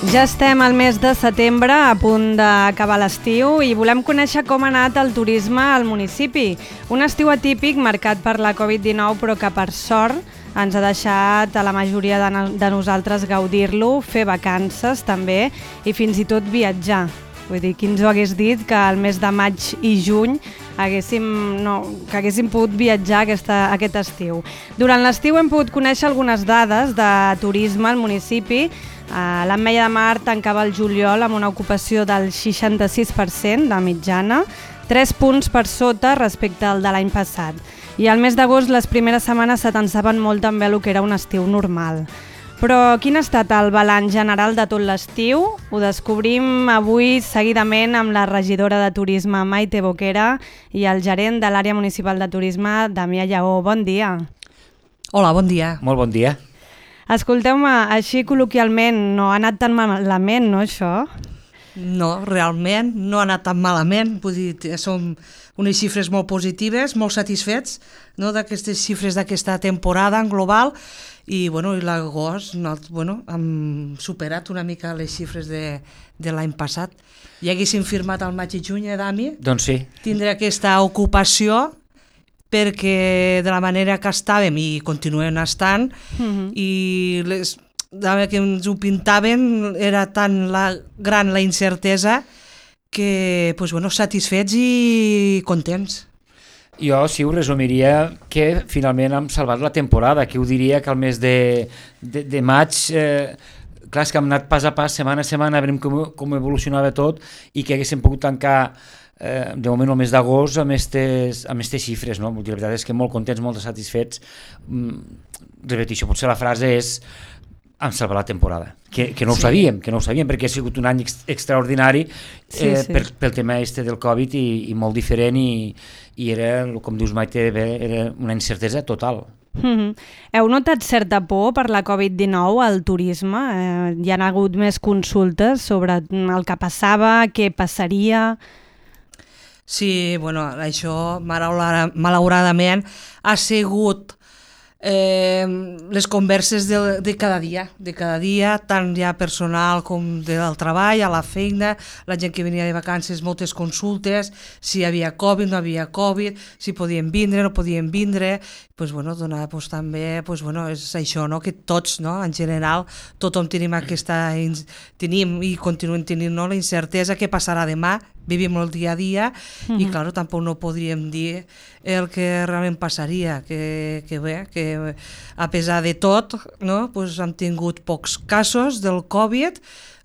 Ja estem al mes de setembre, a punt d'acabar l'estiu, i volem conèixer com ha anat el turisme al municipi. Un estiu atípic marcat per la Covid-19, però que per sort ens ha deixat a la majoria de nosaltres gaudir-lo, fer vacances també i fins i tot viatjar. Vull dir, qui ens ho hagués dit que al mes de maig i juny haguéssim pogut viatjar aquest estiu. Durant l'estiu hem pogut conèixer algunes dades de turisme al municipi. L'Ametlla de Mar tancava el juliol amb una ocupació del 66% de mitjana, 3 punts per sota respecte al de l'any passat. I al mes d'agost les primeres setmanes s'atansaven molt també el que era un estiu normal. Però quin ha estat el balanç general de tot l'estiu? Ho descobrim avui seguidament amb la regidora de Turisme Maite Boquera i el gerent de l'àrea municipal de turisme Damià Lleó. Bon dia. Hola, bon dia. Molt bon dia. Escolteu-me, així col·loquialment, no ha anat tan malament, no, això? No, realment no ha anat tan malament, vull dir, som unes xifres molt positives, molt satisfets, no, d'aquestes xifres d'aquesta temporada en global, i l'agost hem superat una mica les xifres de l'any passat. Ja haguéssim firmat al maig i juny, Dami? Doncs sí. Tindre aquesta ocupació, perquè de la manera que estàvem i continuem estant, i que ens ho pintaven era tan gran la incertesa que satisfets i contents. Jo sí ho resumiria que finalment hem salvat la temporada, que ho diria que al mes de maig, clar, és que hem anat pas a pas, setmana a setmana, veiem com evolucionava tot i que haguéssim pogut tancar de moment el mes d'agost amb aquestes xifres, no? La veritat és que molt contents, molt satisfets. Repeteixo, potser la frase és hem salvat la temporada, que no ho sabíem, perquè ha sigut un any extraordinari pel tema del Covid i molt diferent i era, com dius Maite, era una incertesa total. Heu notat certa por per la Covid-19 al turisme? Hi ha hagut més consultes sobre el que passava, què passaria? Sí, això malauradament ha sigut les converses de cada dia, tant ja personal com del treball, a la feina, la gent que venia de vacances, moltes consultes, si hi havia Covid, no havia Covid, si podien vindre, no podien vindre, també és això, no? Que tots, no? En general, tothom tenim i continuem tenint la incertesa que passarà demà, vivim el dia a dia i clar, tampoc no podríem dir el que realment passaria, que a pesar de tot, no? Hem tingut pocs casos del Covid,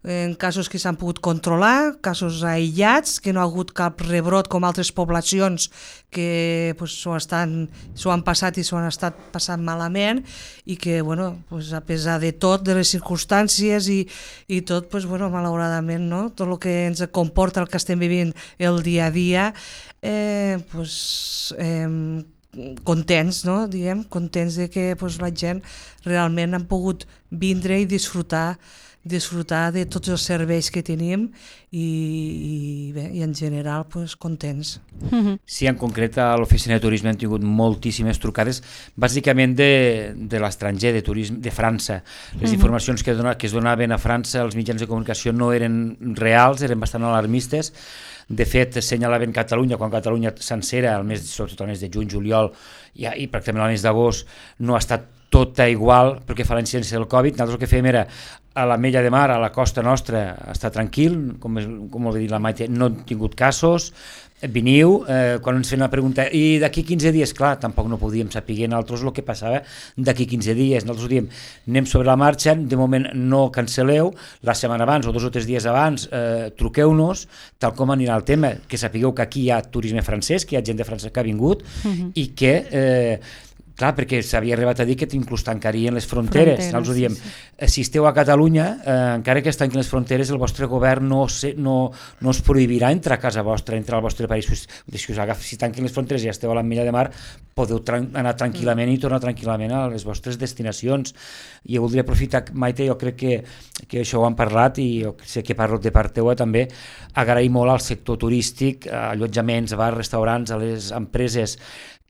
en casos que s'han pogut controlar, casos aïllats, que no ha hagut cap rebrot com altres poblacions que s'ho han passat i s'ho han estat passant malament i que, a pesar de tot, de les circumstàncies i tot, malauradament, no? Tot el que ens comporta el que estem vivint el dia a dia, contents, no? Contents de que la gent realment han pogut vindre i disfrutar de tots els serveis que tenim i en general contents. Sí, en concret a l'oficina de turisme hem tingut moltíssimes trucades, bàsicament de l'estranger, de turisme de França. Les informacions que es donaven a França als mitjans de comunicació no eren reals, eren bastant alarmistes. De fet, assenyalaven Catalunya, quan Catalunya sencera, sobretot al mes de juny, juliol i pràcticament al mes d'agost, no ha estat tota igual perquè fa la incidència del Covid. Nosaltres el que fèiem era a l'Ametlla de Mar, a la costa nostra, estar tranquil, com ho va dir la Maite, no hem tingut casos, veniu, quan ens feien la pregunta, i d'aquí 15 dies, clar, tampoc no podíem saber nosaltres el que passava d'aquí 15 dies, nosaltres diem, anem sobre la marxa, de moment no cancel·leu, la setmana abans o 2 o 3 dies abans truqueu-nos, tal com anirà el tema, que sapigueu que aquí hi ha turisme francès, que hi ha gent de França que ha vingut i que clar, perquè s'havia arribat a dir que inclús tancarien les fronteres. Nosaltres diem, si esteu a Catalunya, encara que es tanquin les fronteres, el vostre govern no us prohibirà entrar a casa vostra, entrar al vostre país. Si tanquin les fronteres i esteu a l'Ametlla de Mar, podeu anar tranquil·lament i tornar tranquil·lament a les vostres destinacions. I voldria aprofitar, Maite, jo crec que això ho han parlat i jo sé que parlo de part teua també, agrair molt al sector turístic, allotjaments, bars, restaurants, a les empreses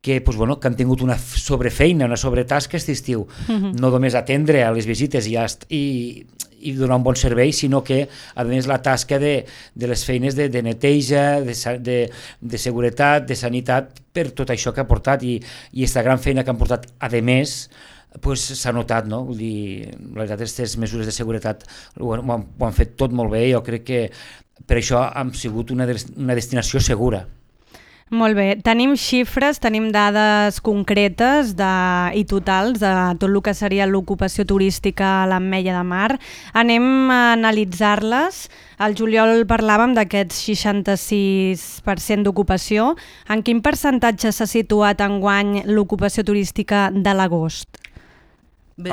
que han tingut una sobrefeina, una sobretasca aquest estiu, no només atendre a les visites i i donar un bon servei, sinó que, a més, la tasca de les feines de neteja, de seguretat, de sanitat, per tot això que ha portat, i aquesta gran feina que han portat, a més, pues, s'ha notat, no? Vull dir, la veritat, aquestes mesures de seguretat ho han fet tot molt bé, jo crec que per això han sigut una destinació segura. Molt bé, tenim xifres, tenim dades concretes i totals de tot el que seria l'ocupació turística a l'Ametlla de Mar. Anem a analitzar-les. Al juliol parlàvem d'aquests 66% d'ocupació. En quin percentatge s'ha situat enguany l'ocupació turística de l'agost? Bé,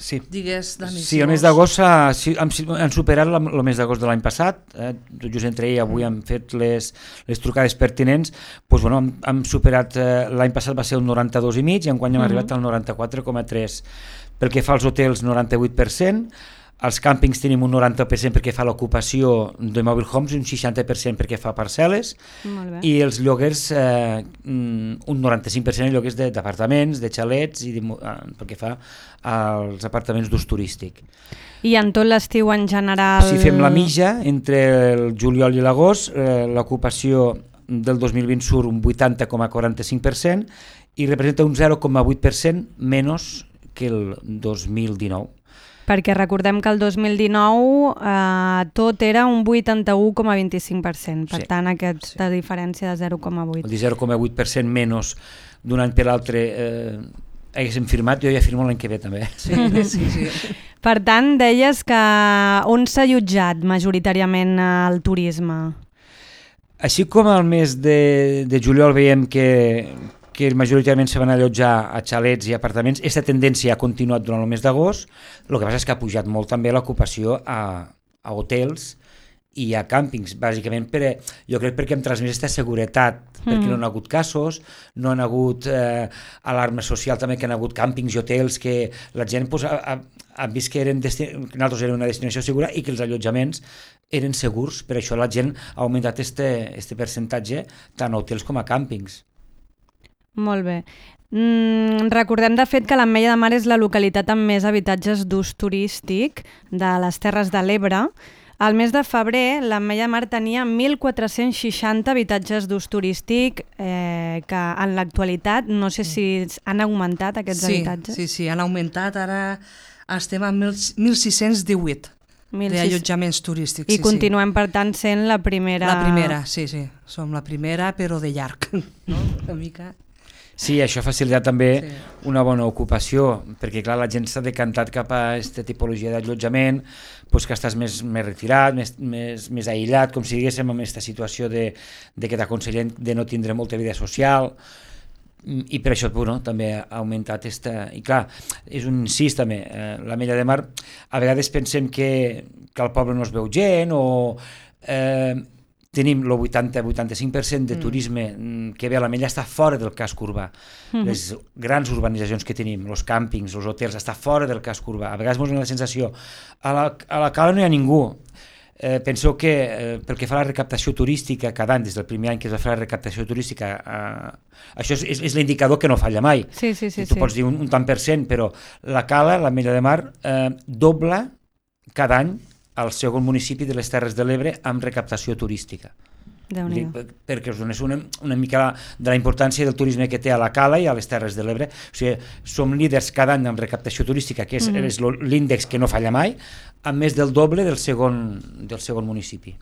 sí. Digues, Dani. Sí, el mes d'agost han superat el mes d'agost de l'any passat, tot just entre ahir i avui hem fet les trucades pertinents, doncs, bueno, hem superat, l'any passat va ser un 92,5 i enguany hem arribat al 94,3. Pel que fa als hotels, 98%, als càmpings tenim un 90% perquè fa l'ocupació de mobile homes i un 60% perquè fa parcel·les, i els lloguers un 95% de lloguers d'apartaments, de xalets, i perquè fa als apartaments d'ús turístic. I en tot l'estiu en general... Si fem la mitja entre el juliol i l'agost, l'ocupació del 2020 surt un 80,45% i representa un 0,8% menys que el 2019. Perquè recordem que el 2019 tot era un 81,25%, per tant aquesta diferència de 0,8. El 0,8% menys d'un any per l'altre haguéssim firmat, jo ja firmo l'any que ve també. Sí. Per tant, deies que on s'ha allotjat majoritàriament el turisme? Així com al mes de juliol veiem que majoritàriament se van allotjar a xalets i apartaments, aquesta tendència ha continuat durant el mes d'agost. El que passa és que ha pujat molt també l'ocupació a hotels i a càmpings, bàsicament jo crec perquè hem transmès aquesta seguretat, perquè no han hagut casos, no han hagut alarma social també, que han hagut càmpings i hotels que la gent ha vist que nosaltres érem una destinació segura i que els allotjaments eren segurs, per això la gent ha augmentat este percentatge tant a hotels com a càmpings. Molt bé. Recordem de fet que l'Ametlla de Mar és la localitat amb més habitatges d'ús turístic de les Terres de l'Ebre. Al mes de febrer l'Ametlla de Mar tenia 1.460 habitatges d'ús turístic que en l'actualitat no sé si han augmentat aquests habitatges. Sí, han augmentat, ara estem a 1.618 d'allotjaments turístics. I continuem per tant sent la primera... La primera, sí, som la primera però de llarg, no? Una mica... Sí, això ha facilitat també una bona ocupació, perquè clar, la gent s'ha decantat cap a aquesta tipologia d'allotjament, doncs que estàs més retirat, més aïllat, com si diguéssim, amb aquesta situació de que t'aconsellen de no tindre molta vida social, i per això també ha augmentat I clar, és un incís també, l'Ametlla de Mar, a vegades pensem que al poble no es veu gent o... tenim el 80-85% de turisme que ve a l'Ametlla està fora del casc urbà. Les grans urbanitzacions que tenim, els càmpings, els hotels, està fora del casc urbà. A vegades ens dona la sensació, a la cala no hi ha ningú. Penseu que pel que fa a la recaptació turística, cada any, des del primer any que es va fer la recaptació turística, això és l'indicador que no falla mai. Sí. Tu pots dir un tant per cent, però la cala, l'Ametlla de Mar, dobla cada any al segon municipi de les Terres de l'Ebre amb recaptació turística. Perquè us donés una mica de la importància del turisme que té a la Cala i a les Terres de l'Ebre. O sigui, som líders cada any amb recaptació turística, que és l'índex que no falla mai, amb més del doble del segon municipi.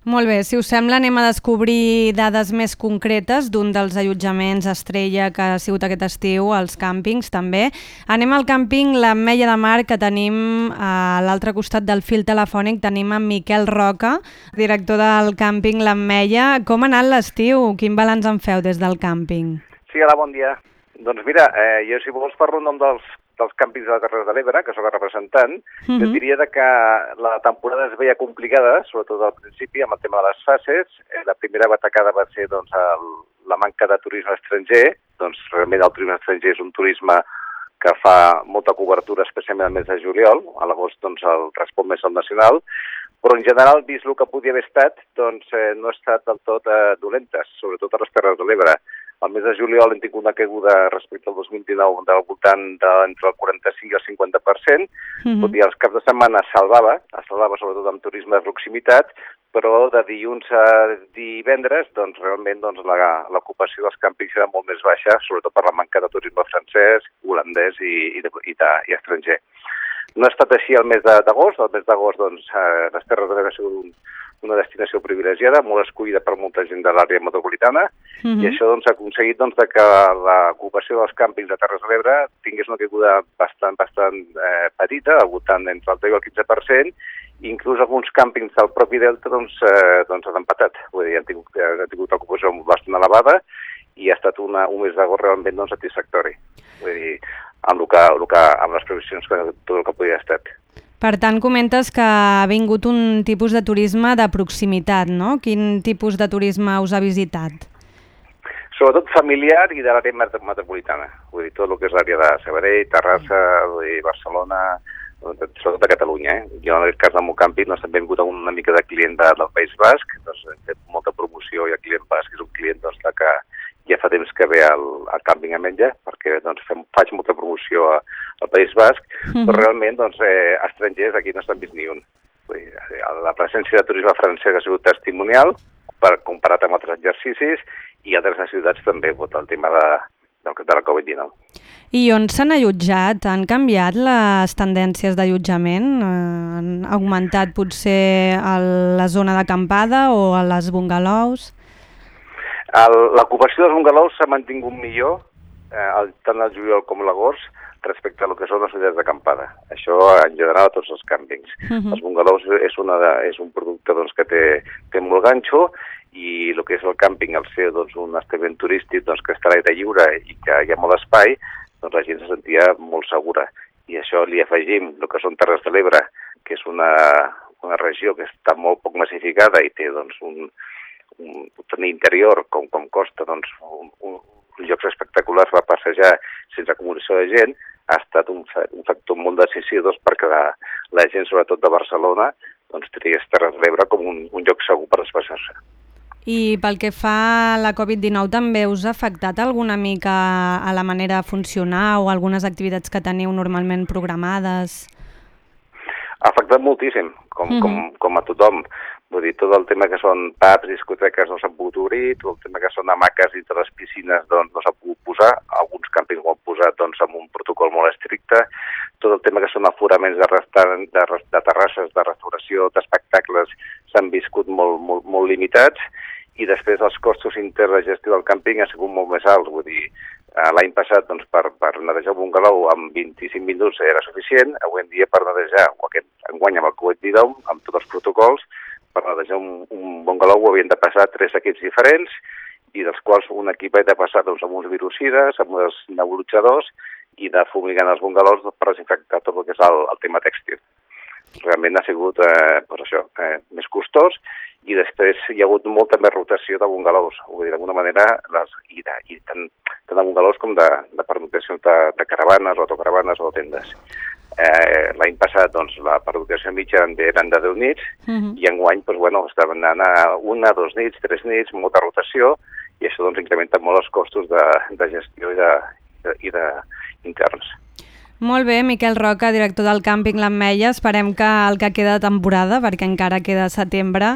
Molt bé, si us sembla anem a descobrir dades més concretes d'un dels allotjaments estrella que ha sigut aquest estiu, els càmpings també. Anem al càmping l'Ametlla de Mar, que tenim a l'altre costat del fil telefònic, tenim en Miquel Roca, director del càmping l'Ametlla. Com ha anat l'estiu? Quin balanç en feu des del càmping? Sí, hola, bon dia. Doncs mira, jo si vols parlo en nom dels càmpings de la Terres de l'Ebre, que sóc el representant, jo diria que la temporada es veia complicada, sobretot al principi, amb el tema de les fases. La primera batacada va ser la manca de turisme estranger. Doncs realment el turisme estranger és un turisme que fa molta cobertura, especialment al mes de juliol. A l'agost el respon més al nacional. Però en general, vist el que podia haver estat, no ha estat del tot dolentes, sobretot a les Terres de l'Ebre. Al mes de juliol hem tingut una caiguda respecte al 2019 del voltant entre el 45 i el 50%, tot i els caps de setmana es salvava sobretot amb turisme de proximitat, però de dilluns a divendres doncs, realment doncs, l'ocupació dels càmpings era molt més baixa, sobretot per la manca de turisme francès, holandès i estranger. No ha estat així el mes d'agost. El mes d'agost, doncs, les Terres de l'Ebre ha sigut una destinació privilegiada, molt escollida per molta gent de l'àrea metropolitana, i això doncs, ha aconseguit doncs, que l'ocupació dels càmpings de Terres de l'Ebre tingués una caiguda bastant petita, al voltant entre el 10 i el 15%, i inclús alguns càmpings del propi Delta doncs, han empatat. Vull dir, han tingut ocupació bastant elevada i ha estat un mes d'agost realment doncs, satisfactori. Vull dir, amb les previsions que tot el que podia estar. Per tant, comentes que ha vingut un tipus de turisme de proximitat, no? Quin tipus de turisme us ha visitat? Sobretot familiar i de l'àrea metropolitana. Vull dir, tot el que és l'àrea de Sabadell, Terrassa, Barcelona, sobretot de Catalunya. Jo, en el cas del meu càmping, també hem vingut una mica de client del País Basc, doncs hem fet molta promoció i el client basc és un client que ja fa temps que ve al càmping a menjar, perquè doncs, faig molta promoció al País Basc, però realment estrangers aquí no s'han vist ni un. Vull dir, la presència de turisme francès ha sigut testimonial, comparat amb altres exercicis, i altres ciutats també, el tema de la Covid-19. I on s'han allotjat? Han canviat les tendències d'allotjament? Han augmentat potser a la zona d'acampada o a les bungalows? L'ocupació dels bungalows s'ha mantingut millor, tant el juliol com l'agost, respecte a lo que són les unitats d'acampada. Això en general a tots els càmpings. Els bungalows és un producte doncs, que té molt ganxo, i el que és el càmping, al ser doncs, un establiment turístic doncs, que està a l'aire lliure i que hi ha molt espai, doncs la gent se sentia molt segura. I això li afegim el que són Terres de l'Ebre, que és una regió que està molt poc massificada i té doncs, un interior com costa doncs, uns llocs espectaculars per passejar sense acumulació de gent, ha estat un factor molt decisiu perquè la gent, sobretot de Barcelona, doncs, triés Terres de l'Ebre com un lloc segur per desplaçar-se. I pel que fa a la Covid-19 també us ha afectat alguna mica a la manera de funcionar o algunes activitats que teniu normalment programades? Ha afectat moltíssim, com a tothom. Vull dir, tot el tema que són pubs, discoteques no s'han pogut obrir, tot el tema que són hamaques dintre les piscines doncs, no s'ha pogut posar, alguns càmpings ho han posat doncs, amb un protocol molt estricte, tot el tema que són aforaments de terrasses, de restauració, d'espectacles s'han viscut molt limitats, i després els costos interns de gestió del càmping han sigut molt més alts. Vull dir, l'any passat doncs, per netejar un bungalow amb 25 minuts era suficient, avui en dia per netejar, o enguany amb el Covid-19, amb tots els protocols, per netejar un bungalow havien de passar 3 equips diferents, i dels quals un equip ha de passar doncs, amb uns virucides, amb uns nebulitzadors, i de fumigant els bungalows per desinfectar tot el que és el tema tèxtil. Realment ha sigut més costós, i després hi ha hagut molta més rotació de bungalows. Vull dir, d'alguna manera, i tant de bungalows com de pernoctacions de caravanes, o autocaravanes o tendes. L'any passat doncs, la pernoctació mitja eren de 10 nits, i enguany estaven anant a 1, 2 nits, 3 nits, molta rotació, i això doncs, incrementa molt els costos de gestió i d'interns. Molt bé, Miquel Roca, director del càmping l'Ametlla. Esperem que el que queda de temporada, perquè encara queda setembre,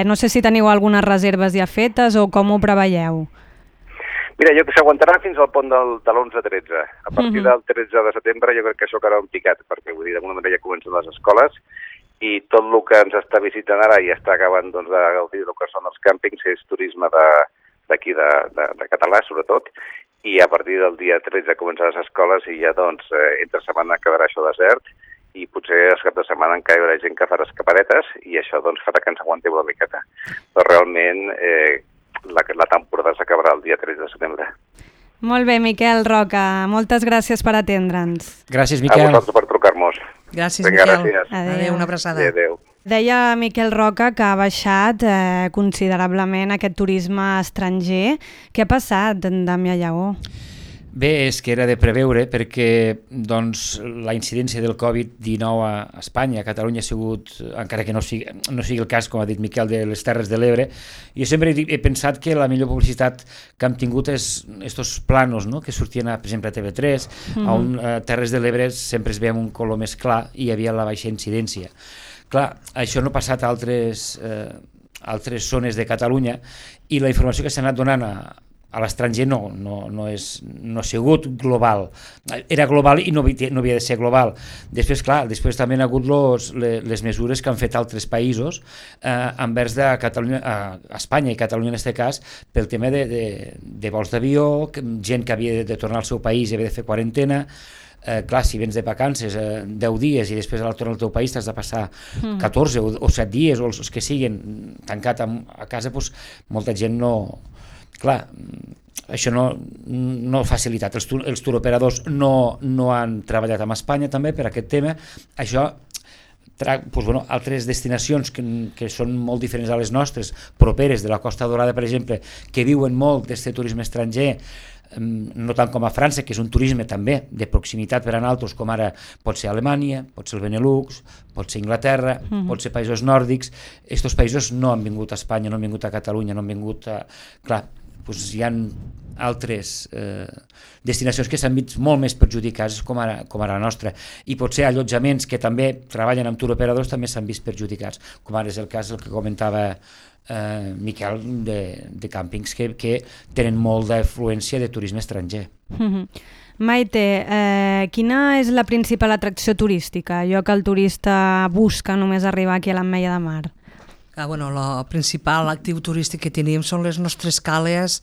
no sé si teniu algunes reserves ja fetes o com ho preveieu? Mira, jo que s'aguantarà fins al pont de l'11-13. A partir del 13 de setembre jo crec que això quedarà un picat, perquè vull dir, d'alguna manera ja comencen les escoles, i tot el que ens està visitant ara i està acabant doncs, de gaudir del que són els càmpings és turisme d'aquí de català, sobretot, i a partir del dia 13 començaran les escoles i ja doncs entre setmana quedarà això desert, i potser els cap de setmana encara hi haurà gent que farà escapadetes, i això doncs farà que ens aguanteu una miqueta. Però realment la temporada s'acabarà el dia 13 de setembre. Molt bé, Miquel Roca, moltes gràcies per atendre'ns. Gràcies, Miquel. A vosaltres per trucar-nos. Gràcies, Miquel. Gràcies. Adéu, una abraçada. Adéu. Deia Miquel Roca que ha baixat considerablement aquest turisme estranger. Què ha passat, Damià Lleó? Bé, és que era de preveure perquè doncs, la incidència del Covid-19 a Espanya, a Catalunya ha sigut, encara que no sigui el cas, com ha dit Miquel, de les Terres de l'Ebre, jo sempre he pensat que la millor publicitat que hem tingut és estos planos, no?, que sortien, per exemple, a TV3, on a Terres de l'Ebre sempre es veia un color més clar i hi havia la baixa incidència. Clar, això no ha passat a altres zones de Catalunya i la informació que s'ha anat donant a l'estranger no ha sigut global. Era global i no havia de ser global. Després, clar, també han hagut les mesures que han fet altres països envers de Catalunya, a Espanya i Catalunya en aquest cas, pel tema de vols d'avió, gent que havia de tornar al seu país i havia de fer quarantena. Clar, si vens de vacances 10 dies i després a la torna al teu país t'has de passar 14 o 7 dies o els que siguin tancat a casa, doncs molta gent no... Clar, això no ha facilitat. Els turoperadors no han treballat amb Espanya també per aquest tema. Això, altres destinacions que són molt diferents a les nostres, properes de la Costa Daurada, per exemple, que viuen molt d'aquest turisme estranger, no tant com a França, que és un turisme també de proximitat per a nosaltres, com ara pot ser Alemanya, pot ser el Benelux, pot ser Inglaterra, pot ser països nòrdics. Aquests països no han vingut a Espanya, no han vingut a Catalunya, no han vingut a... Clar, doncs hi ha altres destinacions que s'han vist molt més perjudicades com ara la nostra, i potser allotjaments que també treballen amb turoperadors també s'han vist perjudicats, com ara és el cas del que comentava Miquel, de càmpings que tenen molt d'afluència de turisme estranger. Maite, quina és la principal atracció turística, allò que el turista busca només arribar aquí a l'Ametlla de Mar? Bueno, el principal actiu turístic que tenim són les nostres cales,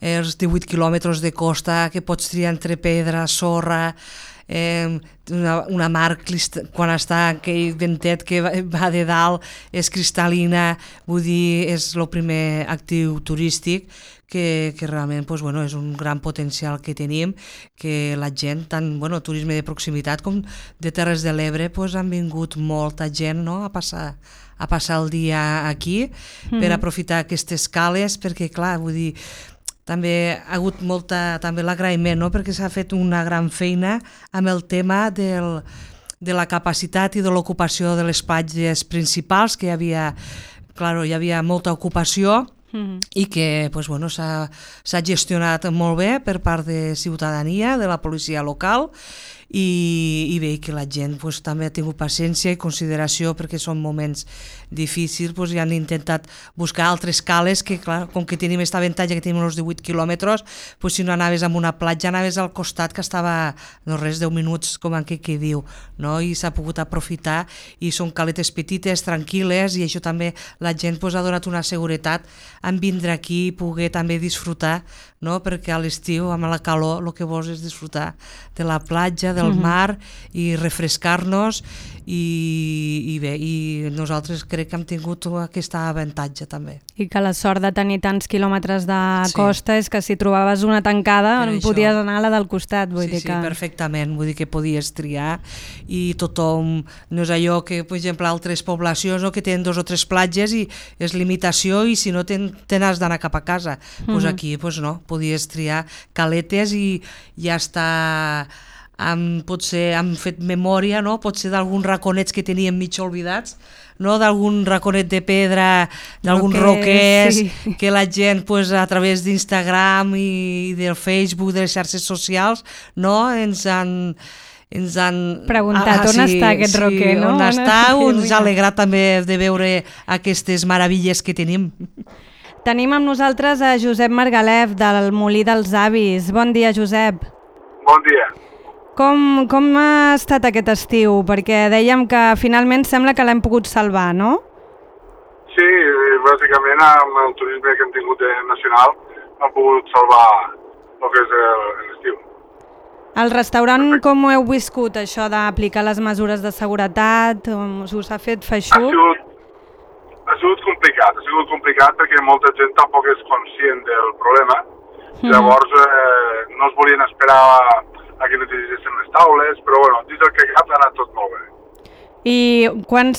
els 18 quilòmetres de costa que pots triar entre pedra, sorra, una mar quan està aquell ventet que va de dalt és cristal·lina, vull dir, és el primer actiu turístic que realment és un gran potencial que tenim, que la gent, tant turisme de proximitat com de Terres de l'Ebre, han vingut molta gent a passar el dia aquí per aprofitar aquestes cales, perquè clar, vull dir, també ha hagut també l'agraïment, perquè s'ha fet una gran feina amb el tema de la capacitat i de l'ocupació de les platges principals, que hi havia molta ocupació i que s'ha gestionat molt bé per part de ciutadania, de la policia local, i bé, que la gent també ha tingut paciència i consideració perquè són moments difícils, i han intentat buscar altres cales que, clar, com que tenim aquest avantatge que tenim els 18 quilòmetres, si no anaves a una platja anaves al costat que estava no res 10 minuts, com en què diu, i s'ha pogut aprofitar, i són caletes petites, tranquil·les, i això també la gent ha donat una seguretat en vindre aquí i poder també disfrutar, perquè a l'estiu amb la calor el que vols és disfrutar de la platja, del mar, i refrescar-nos, i bé, i nosaltres crec que hem tingut aquest avantatge també. I que la sort de tenir tants quilòmetres de costa és que si trobaves una tancada podies anar a la del costat. Sí, perfectament, vull dir que podies triar, i tothom, no és allò que, per exemple, altres poblacions que tenen 2 o 3 platges i és limitació, i si no te n'has d'anar cap a casa. Aquí no, podies triar caletes i ja està... potser hem fet memòria, potser d'alguns raconets que teníem mig oblidats, d'algun raconet de pedra, d'alguns roquers, que la gent a través d'Instagram i del Facebook, de les xarxes socials, ens han preguntat on està aquest roquer, no? On està, ens ha alegrat també de veure aquestes meravilles que tenim. Tenim amb nosaltres a Josep Margalef, del Molí dels Avis. Bon dia, Josep. Bon dia. Com ha estat aquest estiu? Perquè dèiem que finalment sembla que l'hem pogut salvar, no? Sí, bàsicament amb el turisme que hem tingut nacional hem pogut salvar el que és l'estiu. Al restaurant com ho heu viscut, això d'aplicar les mesures de seguretat? Us ha fet feixuc? Ha sigut complicat perquè molta gent tampoc és conscient del problema. Llavors no es volien esperar a que netegessin les taules, però dins del que cap ha anat tot molt bé. I quan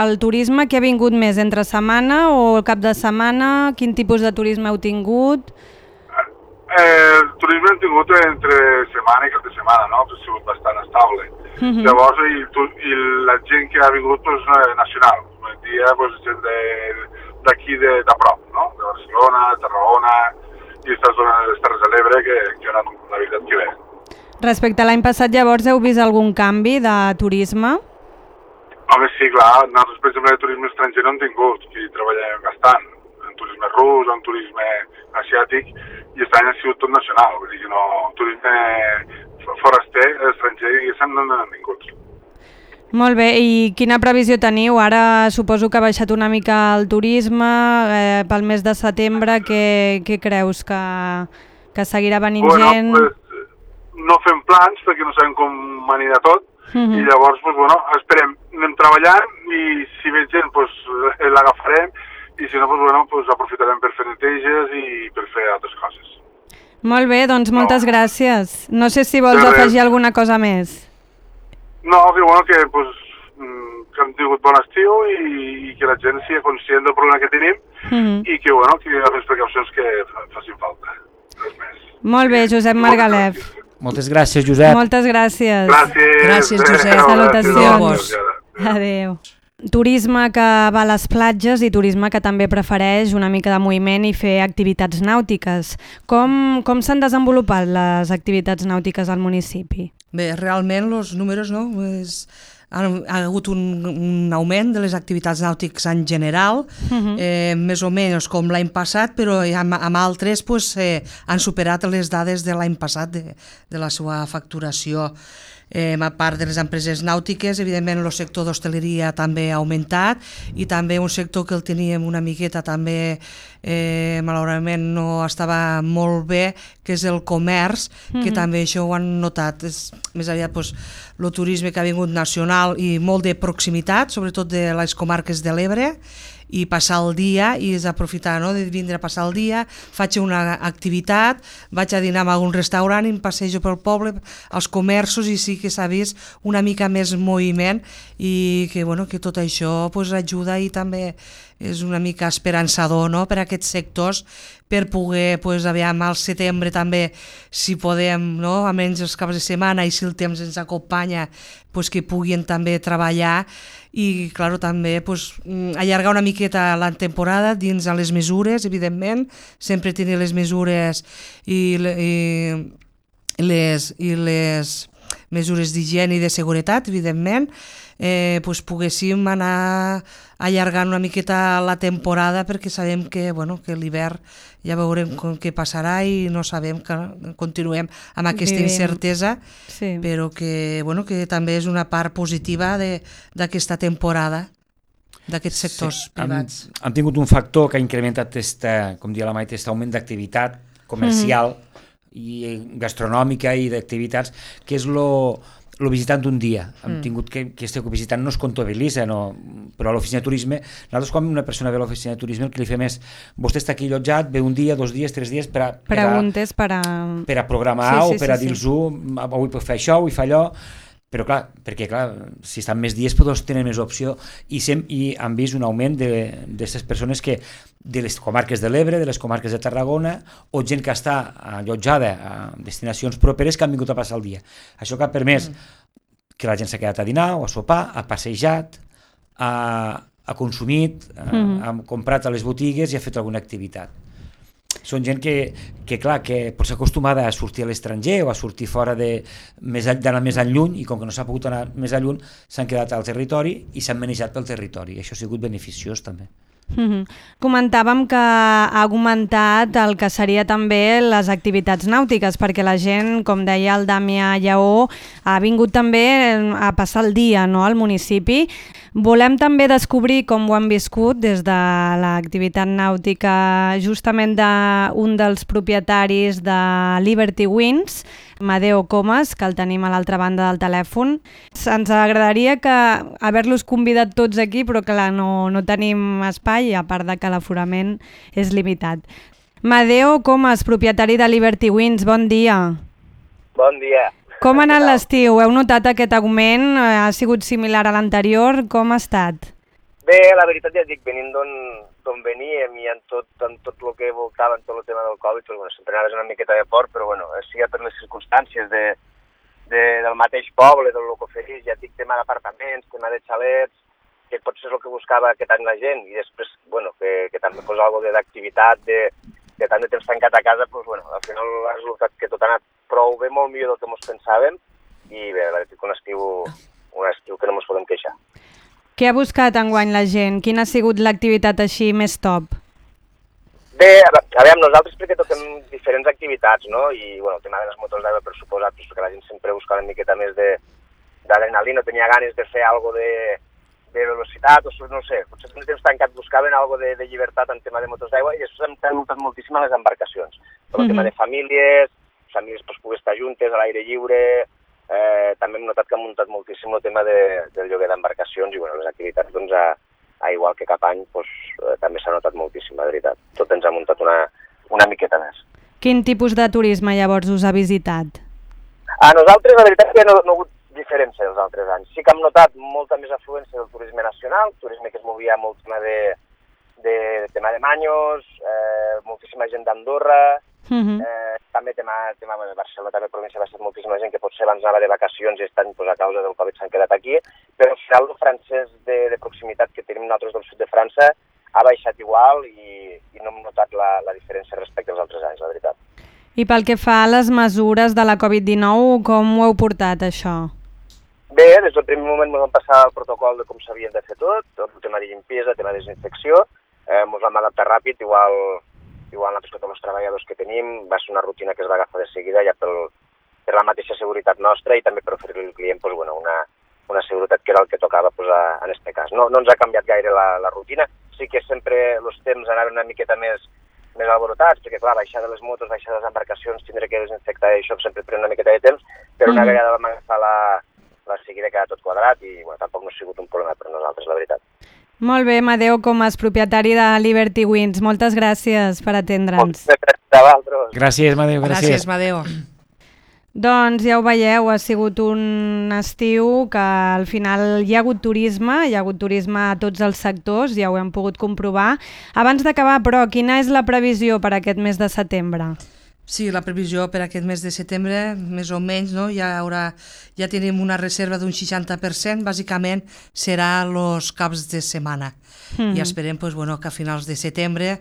el turisme que ha vingut més, entre setmana o el cap de setmana? Quin tipus de turisme heu tingut? el turisme hem tingut entre setmana i cap de setmana, no? Ha sigut bastant estable. Llavors, i la gent que ha vingut, doncs, nacional. Un dia, doncs, gent d'aquí de prop, no? De Barcelona, Tarragona i aquestes zones de les Terres de l'Ebre que han anat, la veritat, que bé. Respecte a l'any passat, llavors, heu vist algun canvi de turisme? Home, sí, clar. Nosaltres, per exemple, de turisme estranger no hem tingut, i treballem bastant. En turisme rus, en turisme asiàtic, i aquest any ha sigut tot nacional, vull dir que no, turisme foraster, estranger, i no n'han vingut. Molt bé, i quina previsió teniu? Ara suposo que ha baixat una mica el turisme, pel mes de setembre, què creus, que seguirà venint gent? Pues, no fem plans perquè no sabem com anirà tot, i llavors, pues, bueno, esperem, anem treballant, i si ve gent, pues, l'agafarem, i si no, pues, bueno, pues, aprofitarem per fer neteges i per fer altres coses. Molt bé, doncs moltes gràcies. No sé si vols afegir alguna cosa més. No, que bueno, que, pues, que hem tingut bon estiu i que la gent sigui conscient del problema que tenim i que, bueno, que hi ha les precaucions que facin falta. Res més. Molt bé, Josep Margalef. Moltes gràcies, Josep. Moltes gràcies. Gràcies, Josep. Salutacions. Adéu. Turisme que va a les platges i turisme que també prefereix una mica de moviment i fer activitats nàutiques. Com s'han desenvolupat les activitats nàutiques al municipi? Bé, realment els números, no? Ha hagut un augment de les activitats nàutiques en general, més o menys com l'any passat, però amb altres pues, han superat les dades de l'any passat de la seva facturació. A part de les empreses nàutiques, evidentment el sector d'hostaleria també ha augmentat i també un sector que el teníem una miqueta també malauradament no estava molt bé, que és el comerç, que també això ho han notat. És més aviat el turisme que ha vingut nacional i molt de proximitat, sobretot de les comarques de l'Ebre, i passar el dia i és aprofitar, no?, de vindre a passar el dia, faig una activitat, vaig a dinar en algun restaurant i em passejo pel poble, als comerços, i sí que s'ha vist una mica més moviment i que, bueno, que tot això pues, ajuda i també és una mica esperançador, no?, per a aquests sectors, per poder, pues, aviam, al setembre també, si podem, no?, almenys els caps de setmana i si el temps ens acompanya, pues, que puguin també treballar i, clar, també pues, allargar una miqueta la temporada dins a les mesures, evidentment, sempre tenir les mesures i les mesures d'higiene i de seguretat, evidentment, pues, poguéssim anar allargant una miqueta la temporada perquè sabem que, bueno, que l'hivern ja veurem què passarà i no sabem que continuem amb aquesta incertesa, però que, bueno, que també és una part positiva d'aquesta temporada d'aquests sectors privats. Han tingut un factor que ha incrementat com dia la Maite, aquest augment d'activitat comercial i gastronòmica i d'activitats, que és el visitant d'un dia. Hem tingut que este visitant no es comptabilitza, no, però a l'oficina de turisme, nosaltres quan una persona ve a l'oficina de turisme el que li fem és, vostè està aquí allotjat, ve un dia, 2 dies, 3 dies per a programar o per a dir-ho, avui puc fer això, avui fa allò, però clar, perquè clar, si estan més dies doncs tenen més opció i han vist un augment d'aquestes persones que de les comarques de l'Ebre, de les comarques de Tarragona o gent que està allotjada a destinacions properes que han vingut a passar el dia. Això que ha permès que la gent s'ha quedat a dinar o a sopar, ha passejat, ha consumit, ha comprat a les botigues i ha fet alguna activitat. Són gent que clar, que pot ser acostumada a sortir a l'estranger o a sortir fora d'anar més enlluny i com que no s'ha pogut anar més enlluny s'han quedat al territori i s'han manejat pel territori. Això ha sigut beneficiós també. Comentàvem que ha augmentat el que seria també les activitats nàutiques perquè la gent, com deia el Damià Lleó, ha vingut també a passar el dia, no?, al municipi. Volem també descobrir com ho han viscut des de l'activitat nàutica justament d'un dels propietaris de Liberty Winds, Madeo Comas, que el tenim a l'altra banda del telèfon. Ens agradaria haver-los convidat tots aquí, però clar, no tenim espai, a part de que l'aforament és limitat. Madeo Comas, propietari de Liberty Winds, bon dia. Bon dia. Com ha anat l'estiu? Heu notat aquest augment? Ha sigut similar a l'anterior? Com ha estat? Bé, la veritat ja et dic, venint d'on veníem i en tot el que voltava, en tot el tema del Covid, doncs, bueno, sempre anaves una miqueta de fort, però bueno, sigui per les circumstàncies del mateix poble, del que oferís, ja et dic, tema d'apartaments, tema de xalets, que potser és el que buscava aquest any la gent, i després, bueno, que també fos alguna d'activitat, de tant de temps tancat a casa, doncs, bueno, al final ha resultat que tot ha anat prou bé, molt millor del que ens pensàvem, i bé, la veritat que un estiu que no ens podem queixar. Què ha buscat enguany la gent? Quina ha sigut l'activitat així més top? Bé, a veure, nosaltres perquè toquem diferents activitats, no? I, bueno, el tema de les motos d'aigua, per suposat, perquè la gent sempre busca una miqueta més d'adrenalina, tenia ganes de fer alguna de velocitat, o no sé, potser en temps tancat buscaven alguna de llibertat en tema de motos d'aigua, i això s'ha notat moltíssim a les embarcacions. El tema de famílies pues, poder estar juntes a l'aire lliure. També hem notat que han muntat moltíssim el tema del lloguer d'embarcacions i bueno, les activitats, doncs, igual que cap any, doncs, també s'ha notat moltíssim, la veritat. Tot ens ha muntat una miqueta més. Quin tipus de turisme llavors us ha visitat? A nosaltres, la veritat, que no ha hagut diferència dels altres anys. Sí que hem notat molta més afluència del turisme nacional, turisme que es movia molt tema tema de Manyos, moltíssima gent d'Andorra, també tema de Barcelona, també província va ser moltíssima gent que potser abans anava de vacacions i estan pues, a causa del Covid s'han quedat aquí, però al final el francès de proximitat que tenim nosaltres del sud de França ha baixat igual i no hem notat la diferència respecte als altres anys, la veritat. I pel que fa a les mesures de la Covid-19, com ho heu portat, això? Bé, des del primer moment ens vam passar el protocol de com s'havia de fer tot el tema de limpiesa, el tema de desinfecció, ens vam adaptar ràpid, igual nosaltres tots els treballadors que tenim, va ser una rutina que es va agafar de seguida ja per la mateixa seguretat nostra i també per oferir-li al client pues, bueno, una seguretat que era el que tocava pues, en aquest cas. No ens ha canviat gaire la rutina, sí que sempre els temps anaven una miqueta més alborotats, perquè clar, baixar de les motos, baixar de les embarcacions, tindre que desinfectar i això sempre pren una miqueta de temps, però una vegada vam agafar la seguida queda tot quadrat i bueno, tampoc no ha sigut un problema per nosaltres, la veritat. Molt bé, Amadeu Comas, propietari de Liberty Wings. Moltes gràcies per atendre'ns. Gràcies, Amadeu. Gràcies, Amadeu. Doncs ja ho veieu, ha sigut un estiu que al final hi ha hagut turisme a tots els sectors, ja ho hem pogut comprovar. Abans d'acabar, però, quina és la previsió per aquest mes de setembre? Sí, la previsió per aquest mes de setembre, més o menys, no? Ja tenim una reserva d'un 60%, bàsicament serà els caps de setmana. I esperem pues, bueno, que a finals de setembre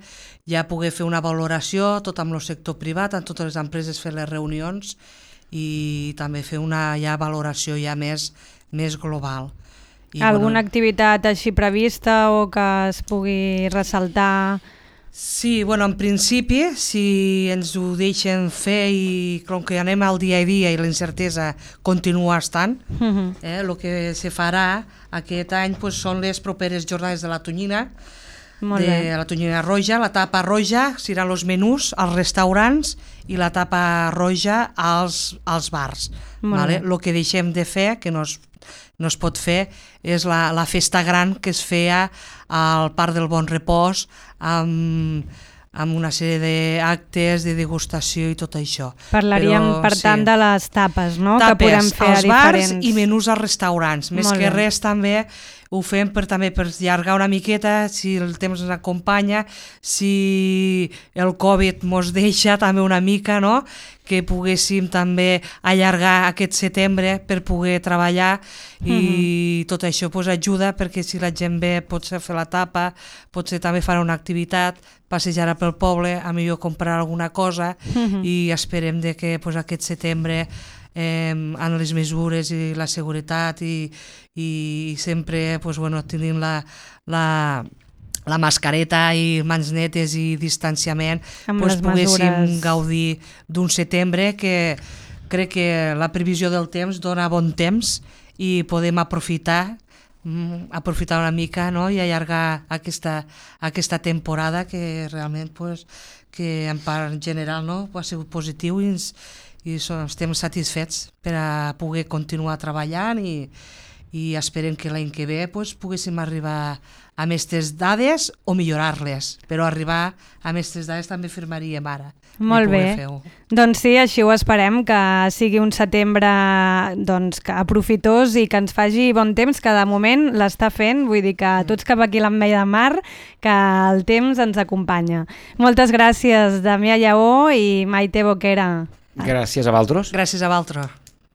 ja poder fer una valoració, tot amb el sector privat, amb totes les empreses fer les reunions i també fer una valoració ja més global. Alguna activitat així prevista o que es pugui ressaltar? Sí, bueno, en principi, si ens ho deixen fer i com que anem al dia a dia i la incertesa continua estant, el que se farà aquest any pues, són les properes jornades de la tonyina, la tonyina roja, la tapa roja seran els menús als restaurants i la tapa roja als bars. Vale? El que deixem de fer, que no es pot fer, és la festa gran que es feia al Parc del Bon Repòs amb una sèrie d'actes de degustació i tot això. Parlaríem, per tant, de les tapes, no? Tapes que podem fer als a diferents... bars i menús als restaurants. Més que res també ho fem per allargar una miqueta, si el temps ens acompanya, si el Covid mos deixa també una mica, no? Que poguéssim també allargar aquest setembre per poder treballar i tot això pues, ajuda perquè si la gent ve potser fer la tapa, potser també farà una activitat, passejarà pel poble, a millor comprar alguna cosa i esperem de que pues, aquest setembre amb les mesures i la seguretat i sempre pues, bueno, tenint la mascareta i mans netes i distanciament pues, poguéssim gaudir d'un setembre que crec que la previsió del temps dona bon temps i podem aprofitar una mica, no? I allargar aquesta temporada que realment pues, que en part general no? Ha sigut positiu i estem satisfets per a poder continuar treballant i i esperem que l'any que ve poguéssim arribar a aquestes dades o millorar-les, però arribar a aquestes dades també firmaríem ara. Molt bé, doncs sí, així ho esperem, que sigui un setembre que aprofitós i que ens faci bon temps, que de moment l'està fent, vull dir que tots cap aquí a l'Ametlla de Mar, que el temps ens acompanya. Moltes gràcies, Damià Lleó i Maite Boquera. Gràcies a vosaltres. Gràcies a vosaltres.